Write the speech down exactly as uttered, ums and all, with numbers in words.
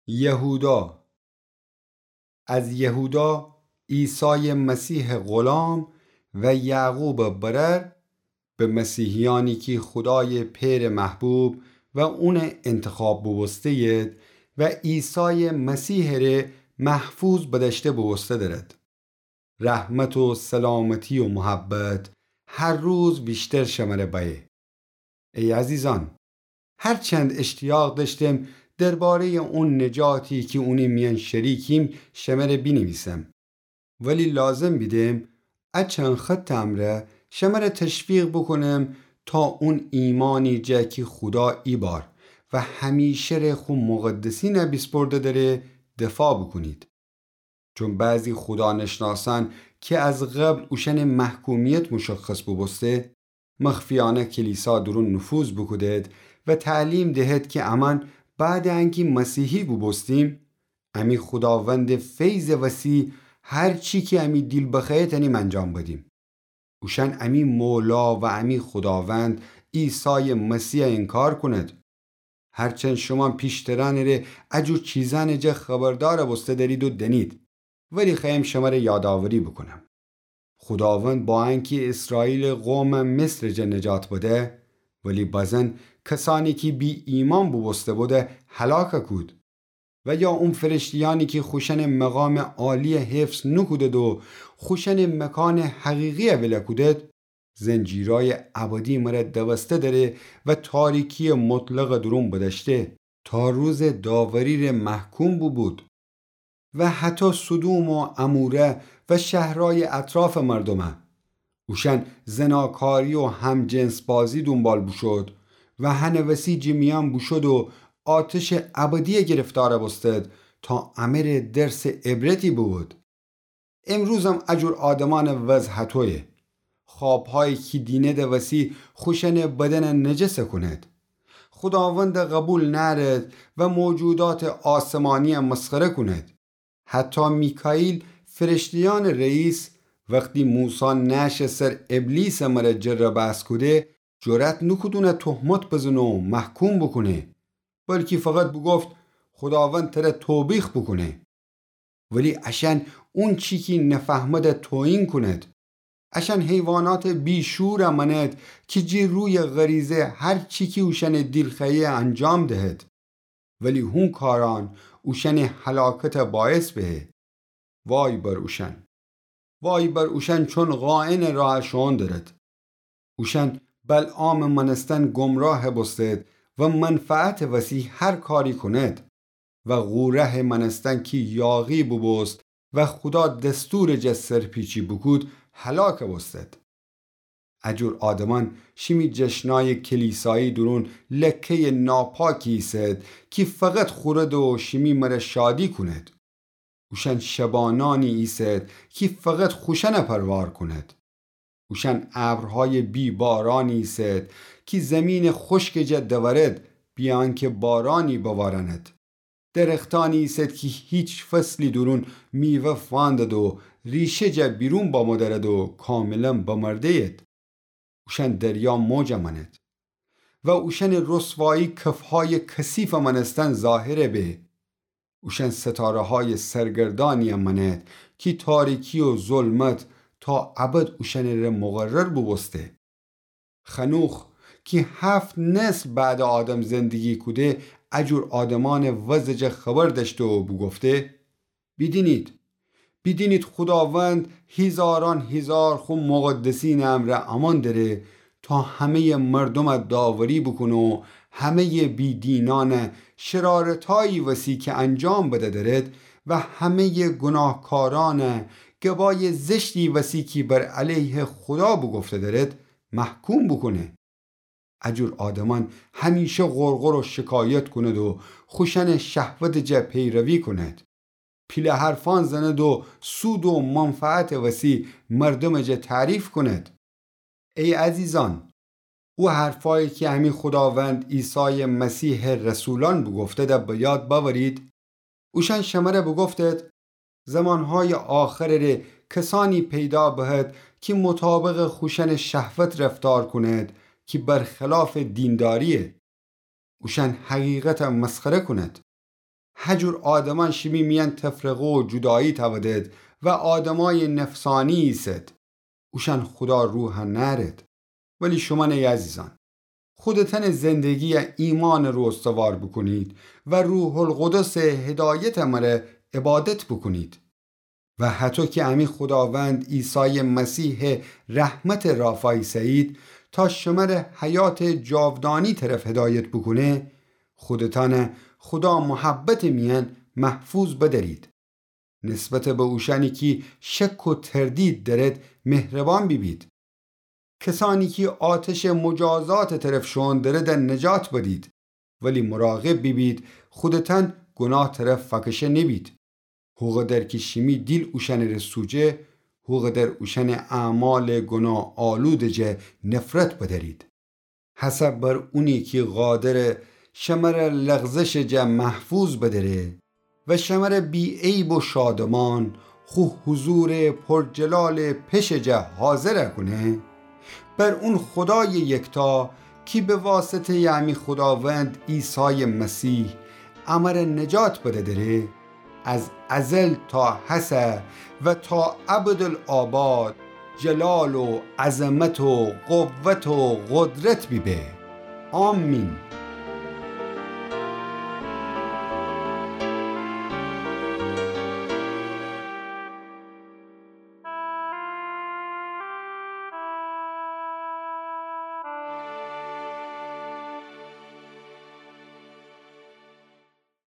یهودا. از یهودا، عیسایٚ مسیحٚ غلام و یعقوبٚ برأر، به مسیحیأنی کی خودایٚ پئرٚ محبوب و اونٚ انتخاب بوبوسته‌ید و عیسایٚ مسیحٚ ره محفوظ بدأشته بوبوسته دأرد. رحمت و سلامتی و محبت هر روز ویشتر شمره بأیه. ای عزیزأن، هرچند اشتیاق دأشتم درباره‌یٚ اون نجاتی کی اونی میأن شریکیم شمره بینیویسم، ولی لازم بیدم ا چند خطٚ امرأ شمره تشویق بوکونم تا اون ایمأنی جا کی خودا ایبار و همیشه ره خو مقدسینَ بیسپرده دأره دفاع بوکونید. چون بعضی خودانشناسأن کی از قبل اوشأنٚ محکومیت مشخص بوبوسته، مخفیأنه کلیسا دورون نفوذ بوکودید و تعلیم دهید کی امأن بعدٚ انکی مسیحی بوبوستیم، امی خوداوندٚ فیضٚ وسی هر چی کی امی دیل بخوأیه تأنیم انجام بدیم. اوشأن امی مولا و امی خوداوند عیسایٚ مسیحَ انکار کونید. هرچند شومأن پیشترأنٚ ره ا جور چیزأنٚ جا خبردار بوسته دأرید و دأنید، ولی خوأیم شمره یادآوری بوکونم. خوداوند با انکی اسرائیلٚ قومَ مصرٚ جا نجات بده، ولی بزن کسأنی کی بی‌ایمأن بوبوسته بوده هلاک کود. و یا اون فرشته‌یأنی کی خوشأنٚ مقامٚ عالیَ حفظ نوکودید و خوشأنٚ مکانٚ حقیقیَ ول کودید، زنجیرأیٚ ابدی مره دوسته دأره و تاریکییٚ مطلقٚ دورون بدأشته، تا روزٚ داوری ره محکوم بوبود. و هطو سدوم و عموره و شهرأیٚ اطرافٚ مردومَ. اوشأن زناکاری و همجنس‌بازی دونبال بوشود و هنٚ وسی جٚه میأن بوشود و آتشٚ ابدیَ گرفتار بوستد تا امه ره درسٚ عبرتی بوبود. امروزم ا جور آدمأنٚ وضع هطویه. خوابهایی کی دینیدٚ وسی خوشأنٚ بدنَ نجس کونید. خوداوندَ قوبیل نأرید و موجوداتٚ آسمانیَ مسخره کونید. حتی میکائیل فرشته‌یأنٚ رئیس وختی موسی نعشٚ سر ابلیسٚ مره جربأس کوده، جرأت نوکود اونَ تهمت بزنه و محکوم بوکونه، بلکی فقط بوگفت خوداوند تره توبیخ بوکونه. ولی اشأن اونچی کی نفهمده توهین کونید. اشأن حیواناتٚ بی‌شورَ مأنید کی جٚه رویٚ غریزه هر چی کی اوشأنٚ دیل خوأیه انجام دهید. ولی هون کارأن اوشأنٚ هلاکتَ باعث بهه. وای بر اوشأن! وای بر اوشأن، چون قائنٚ راه شوئون درید. اوشأن بلعامٚ مأنستن گمراه بوستید و منفعتٚ وسی هر کاری کونید و قورحٚ مأنستن کی یاغی بوبوست و خودا دستورٚ جا سرپیچی بوکود، هلاک بوستید. ا جور آدمأن شیمی جشنأیٚ کلیسایی دورون لکه‌یٚ ناپاکی ایسید کی فقط خورید و شیمی مره شادی کونید. اوشأن شبانأنی ایسید کی فقط خوشأنَ پروار کونید. اوشأن ابرهایٚ بی‌بارأنی ایسید کی زیمینٚ خوشکٚ جا دورید، بیأنکه بارأنی بوارأنید. درختأنی ایسید کی هیچ فصلی دورون میوه فاندید و ریشه جا بیرون بامودرید و کاملاً بمرده‌یید. اوشأن دریا موجَ مأنید و اوشأنٚ رسوایی کفهایٚ کثیفٚ مأنستن ظاهر به. اوشأن ستاره‌هایٚ سرگردأنی‌یَ مأنید کی تاریکی و ظلمت تا ابد اوشأنٚ ره مقرر بوبوسته. خنوخ کی هفت نسل بعدٚ آدم زندگی کوده، ا جور آدمأنٚ وضعٚ جا خبر دأشته و بوگفته: بیدینید، بیدینید، خوداوند هیزارأن هیزار خو مقدسینٚ امرأ امأن دره تا همه‌یٚ مردومَ داوری بوکونه و همه‌یٚ بی‌دینأنَ شرارتأیی وسی کی انجام بده درید و همه‌یٚ گوناهکارأنَ گبایٚ زشتی وسی کی بر علیه خودا بوگفته درید، محکوم بوکونه. ا جور آدمأن همیشه غرغر و شکایت کونید و خوشأنٚ شهوتٚ جا پیروی کونید. پیله حرفأن زنید و سود و منفعتٚ وسی مردمٚ جا تعریف کونید. ای عزیزأن، او حرفأیی کی امی خوداوند عیسایٚ مسیحٚ رسولأن بوگفته‌ده به یاد بأورید. اوشأن شمره بوگفتید، زمانهایٚ آخرٚ ره کسأنی پیدا بهد کی مطابقٚ خوشأنٚ شهوت رفتار کونید کی برخلافٚ دیندارییه. اوشأن حقیقتَ مسخره کونید. هجور آدمأن شیمی میأن تفرقه و جودایی تأودد و آدمأی نفسأنی ایسد. اوشأن خودا روح نأرد. ولی شومأن ای عزیزأن، خودتأنٚ زندگیَ ایمانٚ رو استوار بوکونید و روح‌القدسٚ هدایتٚ مره عبادت بوکونید. و هطو کی امی خوداوند عیسایٚ مسیحٚ رحمتٚ رافا ایسه‌یید تا شمره حیاتٚ جاودانی طرف هدایت بوکونه، خودتأنَ خودا محبتٚ میأن محفوظ بدأرید. نسبت به اوشأنی کی شک و تردید دأرد مهربان بیبید. کسأنی کی آتشٚ مجازاتٚ طرف شوئون درد نجات بدید، ولی مراقب بیبید خودتأن گوناه طرف فأکشه نیبید. هوقدر کی شیمی دیل اوشأنٚره سوجه، هوقدر اوشأنٚ اعمالٚ گوناه‌آلودٚ جا نفرت بدأرید. هسه بر اونی کی قادره شمره لغزشٚ جا محفوظ بدأره و شمره بی‌عیب و شادمان خو حضورٚ پرجلالٚ پشٚ جا حاضر کونه، بر اون خودایٚ یکتا کی به واسطه‌یٚ امی خوداوند عیسایٚ مسیح امره نجات بدأدره، از ازل تا هسه و تا ابدالآباد جلال و عظمت و قوت و قدرت بیبه. آمین.